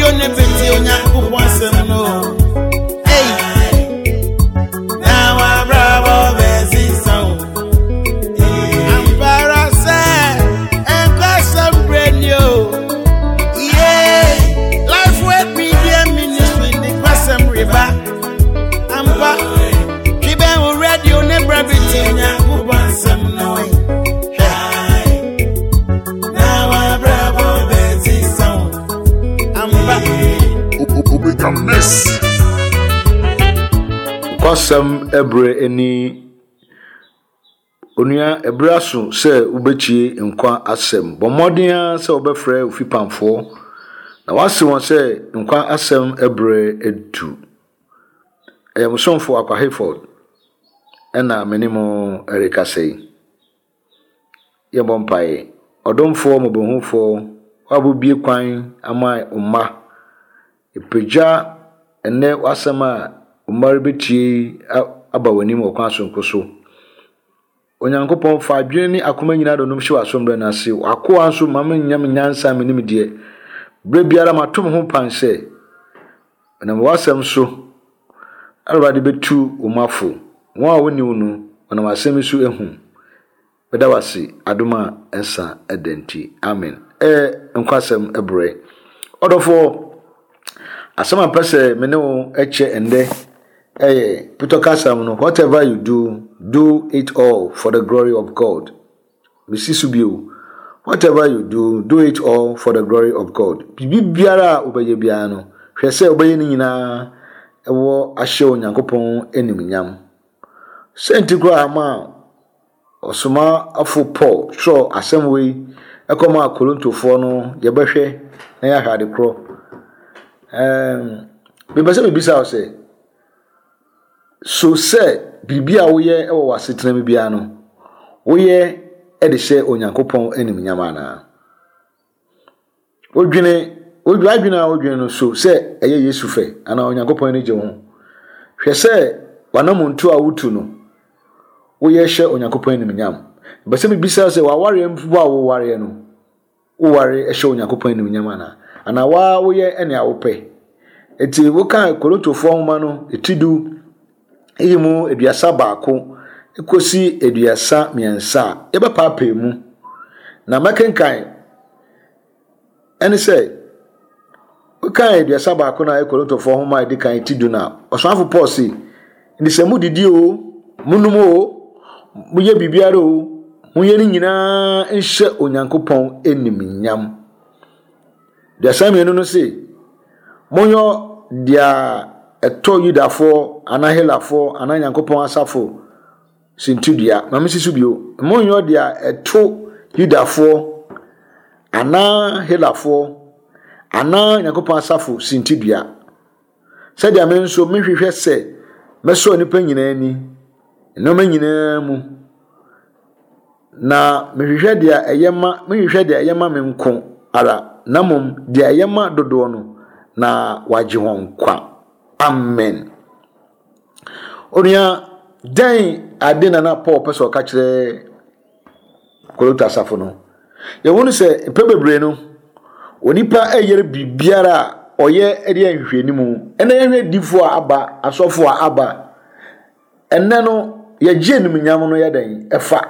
radio ne bɛtie Onyankopɔn asɛm no. Ei, na wabrabɔ bɛsesa o. Ampa ara sɛ ɛnkɔsɛm berɛ ni o. Yeah, Lifeway Media Ministry de kwasɛm reba. Ampa, twe bɛn wo radio ne bra bɛtie Onyankopɔn asɛm no. Hwɛ, na wabrabɔ bɛsesa o. Ampa. Omega Mix. Nokwasɛm bere ni Onua, bere aso sɛ wubetie nkwa asɛm. Bɔ mmɔden ara sɛ wobɛfrɛ wo fipamfoɔ na woase wɔn sɛ nkwa asɛm bere adu. Ɛyɛ mo somfo Akwa Hayford ɛna me ne mo rekasa yi. Yɛbɔ mpaeɛ. Ɔdomfoɔ, mmɔborɔhunufoɔ, wo a wobue kwan ama wo mma, yɛpagya ɛnnɛ w'asɛm a wo mma rebɛtie yi aba w'anim wɔ kwan soronko so. Onyankopɔn, fa adwene ne akoma nyinaa dɔnom hyɛ w'asombrɛ no ase. W'akoa nso, ma mennya me nyansa me nimdeɛ. Berɛ biara mato me ho pan sɛ, ɛnam w'asɛm so, Awurade bɛtu wo mma fo. Wɔn a wɔnni wo no, wɔnam asɛm yi so ahu. Meda wo ase adom a ɛnsa da nti. Amen. Ɛyɛ nkwasɛm brɛ. Ɔdɔfoɔ, asɛm a mpɛ sɛ me ne wo kyɛ ɛndɛ ɛyɛ Peter kasam no, whatever you do, do it all for the glory of God. Mesi so bio. Whatever you do, do it all for the glory of God. Biribi biara a wobɛyɛ biara no, hwɛ sɛ wobɛyɛ ne nyinaa ɛwɔ ahyɛ Onyankopɔn animuonyam. Sɛ nti koraa ma Ɔsomafo Paul twerɛw asɛm wei kɔmaa Korintofoɔ no, yɛbɛhwɛ na yɛahwɛ ade korɔ. Ɛɛm, mepɛ sɛ mebisa wo sɛ, so sɛ biribi a woyɛ wɔ w'asetena mu biara no, woyɛ de hyɛ Onyankopɔn animuonyam anaa? Wodwene, w'adwene a wodwene no so sɛ ɛyɛ Yesu fɛ anaa Onyankopɔn ani gye wo ho. Hwɛ sɛ w'anammɔntu a wotu no, woyɛ hyɛ Onyankopɔn animuonyam. Mepɛ sɛ mebisa sɛ w'awareɛ mpo a wowareɛ no, woware hyɛ Onyankopɔn animuonyam anaa? Anaa waa woyɛ nea wopɛ? Enti woka Korintofoɔ nwoma no ti du yi mu 31 kɔsi 33 a, yɛbɛpaapaa mu. Na mɛkenkan ɛne sɛ, wokan 31 no a ɛyɛ Korintofoɔ nwoma a ɛdi kan ti du no a, ɔsomafo Paul se, nti sɛ modidi o, monom o, moyɛ biribiara o, monyɛ ne nyinaa nhyɛ Onyankopɔn animuonyam. 32 no se, Monyɔ deɛ ɛtɔ Yudafoɔ anaa Helafoɔ anaa Nyankopɔn asafo sintidua. Ma mensi so bio. Monyɔ deɛ ɛto Yudafoɔ anaa Helafoɔ anaa Nyankopɔn asafo sintidua. Sɛdeɛ me nso mehwehwɛ sɛ mɛsɔ nnipa nyinaa ani, nneɛma nyinaa mu. Na mehwehwɛ deɛ ɛyɛ ma menhwehwɛ deɛ ɛyɛ ma me nko ara, na mmom deɛ ɛyɛ ma dodoɔ no, na wɔagye wɔn nkwa. Amen. Onua, dɛn ade na na Paul pɛ sɛ ɔka kyerɛ Korinto asafo no? Yɛhu no sɛ mpɛn bebree no, onipa yere biribiara a ɔyɛ de yɛ nhwehwɛnimu. Ɛnna yɛhwɛ adiifo a aba, asɔfo a aba. Ɛnnɛ no, yɛgye animuonyam no yɛ dɛn? Ɛfa.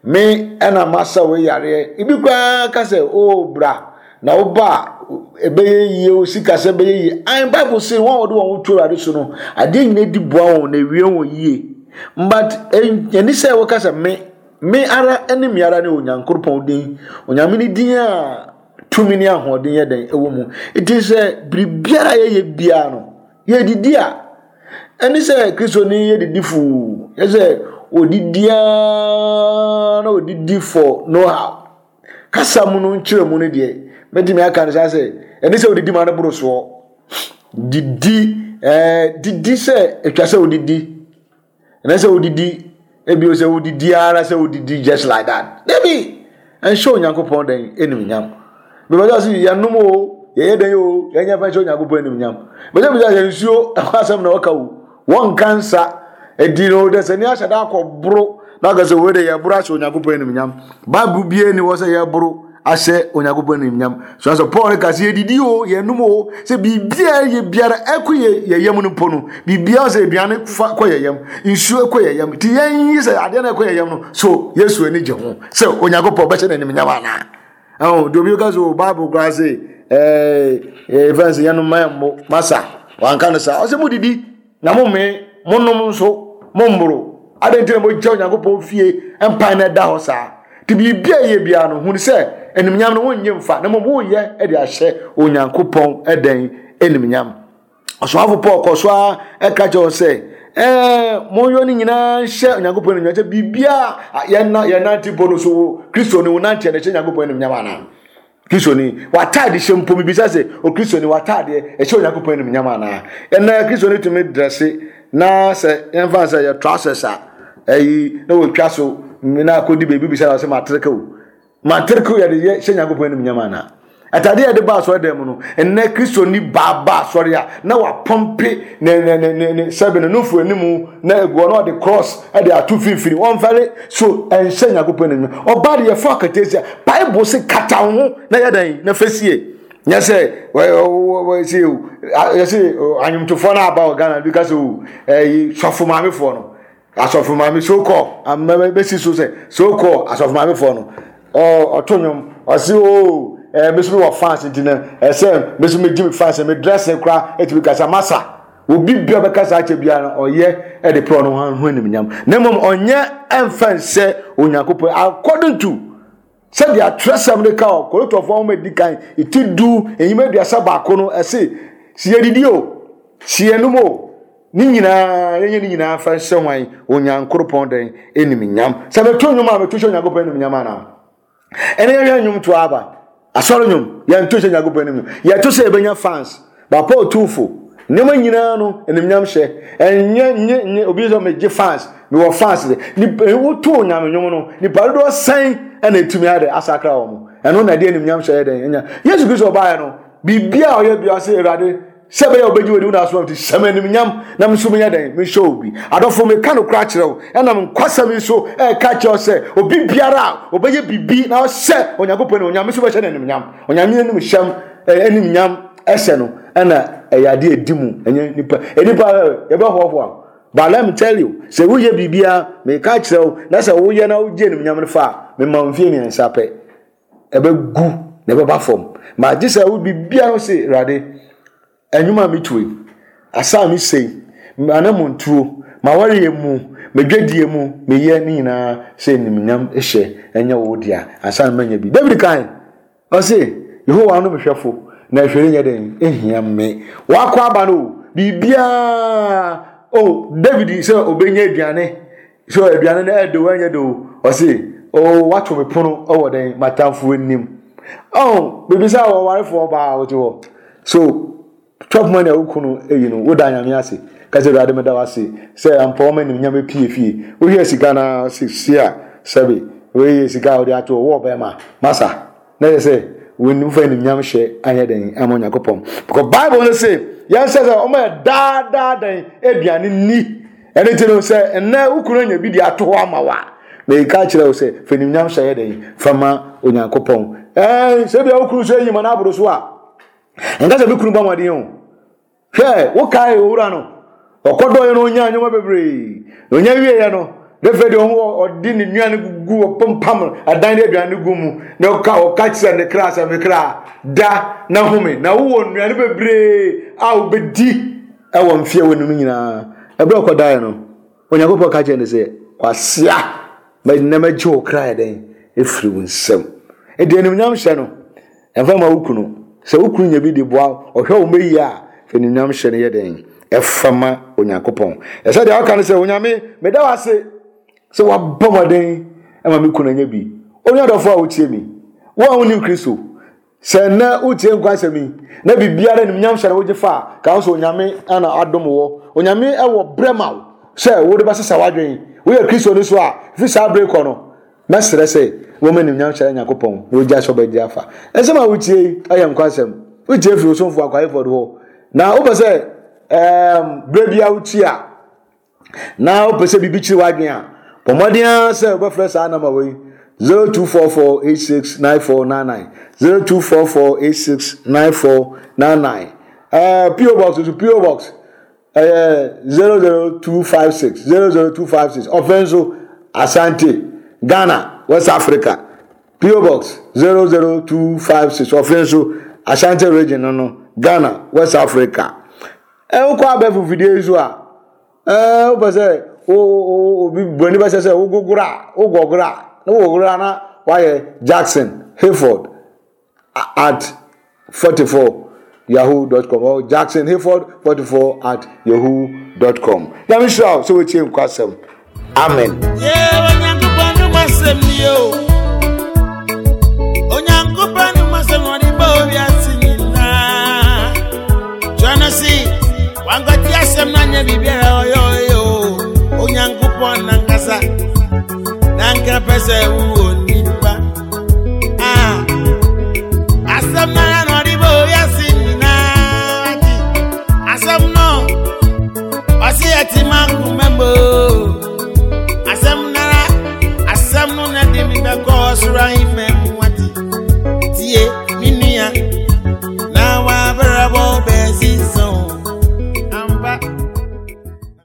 Me ɛna masa wei yareɛ. Ebi koraa ka sɛ, oh bra, na woba a, ɛbɛyɛ yie, wo sikasɛm bɛyɛ yie. Ae, Bible se wɔn a wɔde wɔn ho to Awurade so no, adeɛ nyinaa di boa wɔn na ewie wɔn yie. But ɛni sɛ wɔka sɛ me, me ara ne me ara ne Onyankopɔn din. Onyame ne din a tumi ne ahoɔden yɛ dɛn ɛwɔ mu. Nti sɛ biribiara yɛyɛ biara no, Yɛdidi a, ɛne sɛ Kristoni yɛ didi fuu, yɛ sɛ odidi ara na odidi for no how. Kasa mu no nkyerɛ mu no deɛ, mɛtumi aka no saa sɛ, ɛne sɛ odidi ma no boro soɔ. Didi, ɛɛ didi sɛ atwa sɛ odidi. Ɛnɛ sɛ wodidi ebi sɛ wodidi ara sɛ wodidi just like that. Dabi ɛnhyɛ Onyankopɔn dɛn animuonyam. Bɛbɛ sɛ yɛnom o yɛyɛ dɛn o yɛnyɛ fɛ nhyɛ Onyankopɔn animuonyam. Bɛsɛ bisa sɛ nsuo ɛho asɛm na ɔka o wɔnka nsa ɛdi no dɛ sɛ ne ahyɛ da akɔ boro na aka sɛ wei de yɛboro ahyɛ Onyankopɔn animuonyam. Bible bie ni wɔ sɛ yɛboro. ahyɛ Onyankopɔn animuonyam. So asɛ Paul reka sɛ yɛdidi o, yɛnom o, sɛ biribiara yɛ biara ɛkɔ yɛ yɛ yam no mpo no, biribiara sɛ aduane fa kɔ yɛ yam, nsuo kɔ yɛ yam. Nti yɛn yi sɛ adeɛ no ɛkɔ yɛ yam no, so Yesu ani gye ho sɛ Onyankopɔn bɛhyɛ no animuonyam anaa? Ɛho, deɛ obi ka sɛ o Bible koraa se ɛɛ ɛɛ fɛn sɛ yɛnom ma yɛmmo masa, wanka no saa. Ɔsɛ mo didi. Na mommee, monnom nso, mommboro. Adɛn nti na mogya Onyankopɔn fie mpan na ɛda hɔ saa? Nti biribi a ɛyɛ biara no, hunu sɛ animuonyam no wonnye mfa, na mmom woyɛ de ahyɛ Onyankopɔn dɛn animuonyam. Ɔsomafo Paul kɔ so ara ɛka kyerɛ wɔn sɛ, ɛɛ monyɔ ne nyinaa nhyɛ Onyankopɔn animuonyam sɛ biribiara yɛnante mpo no so wo Kristo ne wo nanteɛ no hyɛ Onyankopɔn animuonyam anaa? Kristoni, w'ataade hyɛ mpo mibisa sɛ, Okristoni, w'ataadeɛ ɛhyɛ Onyankopɔn animuonyam anaa? Ɛnɛ Kristoni tumi drɛse na sɛ yɛmfa sɛ yɛ trousers a ɛyi na wɔtwa so na akɔdi baabi bisa na ɔsɛ matereke o. Matereke o yɛde yɛ hyɛ Nyankopɔn animuonyam anaa? Ataadeɛ a yɛde ba asɔre dan mu no, ɛnɛ Kristoni baa ba asɔre a na wapɔmpe ne ne ne ne ne sɛbe ne nufu animu na egu hɔ na ɔde cross de ato mfimfini wɔmfɛre so ɛnhyɛ Nyankopɔn animuonyam. Ɔbaa de yɛfa akatesia Bible se kata wo ho na yɛ dɛn na fa sie. Nyɛ sɛ wɔsi yɛsi anwomtofoɔ no aba wɔ Ghana bi ka sɛ o ɛyi sɔfo maamefoɔ no asɔfo maame so kɔ ama bɛsi so sɛ so kɔ asɔfo maamefoɔ no ɔto nnwom ɔsi o ɛɛ me so wɔ fans nti no ɛsɛ me so me gye me fans me dress koraa etumi kasa masa. Obi bia ɔbɛka saa akyɛ biara no ɔyɛ de prɛ ɔno ho animnyam na mmom ɔnyɛ ɛmfa nsɛ Onyankopɔn according to sɛdeɛ atwerɛsɛm no ka wɔ Korintofoɔ nwoma edi kan ti du enyim 31 no ɛse sɛ yɛdidi o sɛ yɛnom o ne nyinaa yɛnyɛ ne nyinaa fa nhyɛ hwan Onyankoropɔn dɛn animnyam sɛ meto nnwom a meto hyɛ Onyankopɔn animnyam anaa Ɛne yɛhwɛ nnwom to aba. Asɔre nnwom, yɛnto hyɛ Nyankopɔn anim. Yɛto sɛ yɛbɛnya fans. Ba Paul tu fo. Nneɛma nyinaa no, animnyam hyɛ. Ɛnyɛ nye nye obi sɛ megye fans, mewɔ fans de. Nipa woto nyame nnwom no, nipa dodoɔ sɛn ɛna etumi ayɛ dɛ asakra wɔn. Ɛno na ɛde animnyam hyɛ yɛ dɛn nya. Yesu Kristo ɔbaeɛ no, biribiara a ɔyɛ biara sɛ Awurade Sɛ ɛbɛyɛ a wobɛgye w'adi wo na asoma me nti, hyɛ me animuonyam na me nso menyɛ dɛn? Menhyɛ wo bi. Adɔfo, meka nokorɛ akyerɛ wo, ɛnam nkwasɛm yi so ɛreka akyerɛ wo sɛ, obi biara a ɔbɛyɛ biribi na ɔhyɛ Onyankopɔn animuonyam, me nso mɛhyɛ no animuonyam. Onyame anim hyɛm, animuonyam ɛhyɛ no, ɛna ɛyɛ adeɛ ɛdi mu, ɛnyɛ nipa. Nipa yɛbɛhoahoa. But let me tell you, sɛ woyɛ biribiara, meka akyerɛ wo, na sɛ woyɛ na wogye animuonyam no fa a, mema wo mfeɛ mmiɛnsa pɛ. ɛbɛgu na ɛbɛba fam. Ma gye sɛ wo biribiara ho se, Awurade, ɛnwom a metu yi, asa a mesɛ yi, m'anammɔntuo, m'awareɛ mu, m'adwadie mu, meyɛ ne nyinaa sɛ animuonyam hyɛ ɛnyɛ wo dea ansa na manya bi. David kan, ɔse, Yehowa no me hwɛfo, na hwee renyɛ dɛn nhia me. Wakɔ aba no o, biribiara o, David sɛ ɔbɛnya aduane So aduane no ɛde o ɛnyɛ de o ɔse o wato me pono wɔ dɛn m'atamfo anim oh bibisa wɔ warefoɔ ɔbaa wote hɔ so chop money a wo kunu eyi no woda nyame ase ka sɛ awurade meda wo ase sɛ ampa wɔma anim nyame pie fie wohwɛ sika na se si a sɛbe wei yɛ sika a wode ato wɔ bɛrima masa Na yɛ sɛ wɔn fa animuonyam hyɛ anyɛ dɛn ama Onyankopɔn. Because Bible no se yɛn sɛ sɛ wɔn yɛ daa daa dɛn aduane ni. Ɛno ti no sɛ nnɛ wo kunu anya bi de ato hɔ ama wa. Na yɛka kyerɛ wo sɛ fa animuonyam hyɛ yɛ dɛn fa ma Onyankopɔn. Ɛɛ sɛ bia wo kunu so ayi ma no aboro so a nka sɛ me kunu bɔ mmɔden o. Hwɛ, wokae owura no? Ɔkɔdɔeɛ no ɔnyaa nneɛma bebree. Na ɔnya wieeɛ no, ne fɛ deɛ ɔho ɔde ne nnuane gugu ɔpempam adan de aduane gu mu. Na ɔka ɔka kyerɛ ne kra sɛ me kra da na home. Na wowɔ nnuane bebree a wobɛdi ɛwɔ mfeɛ wɔ no nyinaa. Ɛberɛ ɔkɔdaeɛ no, Onyankopɔn ka kyerɛ no sɛ, Kwasea, na mɛgye wo kra yɛ dɛn ɛfiri wo nsam. Ɛde animuonyam hyɛ no. Ɛmfa mma wo kunu. Sɛ wo kunu nya bi de boa wo, ɔhwɛ wo mma yie a, fa animuonyam hyɛ no yɛ dɛn? Ɛfa ma Onyankopɔn. Ɛsɛ deɛ ɔka no sɛ, Onyame, meda wo ase sɛ woabɔ mmɔden ma me kunu anya bi. Onua dɔfo a wotie me, wo a wonnim Kristo, sɛ nnɛ wotie nkwa asɛm yi, na biribiara animuonyam hyɛ no wogye fa a, ka ho sɛ Onyame na adom wɔ. Onyame wɔ berɛ ma wo sɛ wode bɛsesa w'adwene. Woyɛ Kristoni so a, fi saa bere kɔ no, Mɛsrɛ sɛ wɔma animuonyam hyɛ Nyankopɔn na ogya sɔ bɛgye afa. Nsɛm a wotie yi yɛ nkwa nsɛm. Wotie firi Osomfo Akwa Hayford hɔ. Na wopɛ sɛ ɛɛm berɛ biara wotie a na wopɛ sɛ biribi kyere w'adwene a, bɔ mmɔden ara sɛ wobɛfrɛ saa nɔma wei. 0244869499 0244869499 ɛɛ PO box nso PO box ɛyɛ 00256 00256 ɔfɛn nso Asante Ghana West Africa PO box 00256 ɔfɛn nso Ashanti region no no Ghana West Africa ɛwokɔ abɛɛfo fidie yi so a. Ɛɛ wopɛ sɛ wo wo obi buroni bɛhyɛ sɛ wogogoro a wogɔgoro a na wogogoro a na wayɛ Jackson Hayford at 44 yahoo dot com or Jackson Hayford 44 at yahoo dot com. Nyame hyira wo sɛ wotie nkwasɛm. Amen. Yeah, Onyankopɔn no masɛm ni o. Onyankopɔn no masɛm ɔde bɔ wiase nyinaa. Twerɛ no se, wankwati asɛm no anyɛ biribiara ɔyɛ ɔyɛ o. Onyankopɔn nankasa, nanka pɛ sɛ wowɔ nipa. Ah, asɛm no ara na ɔde bɔ wiase nyinaa. Ati, asɛm no, ɔse ɛte ma nkoma mu o. Asɛm no ara, asɛm no na de mi bɛkɔ ɔsoro ahemman.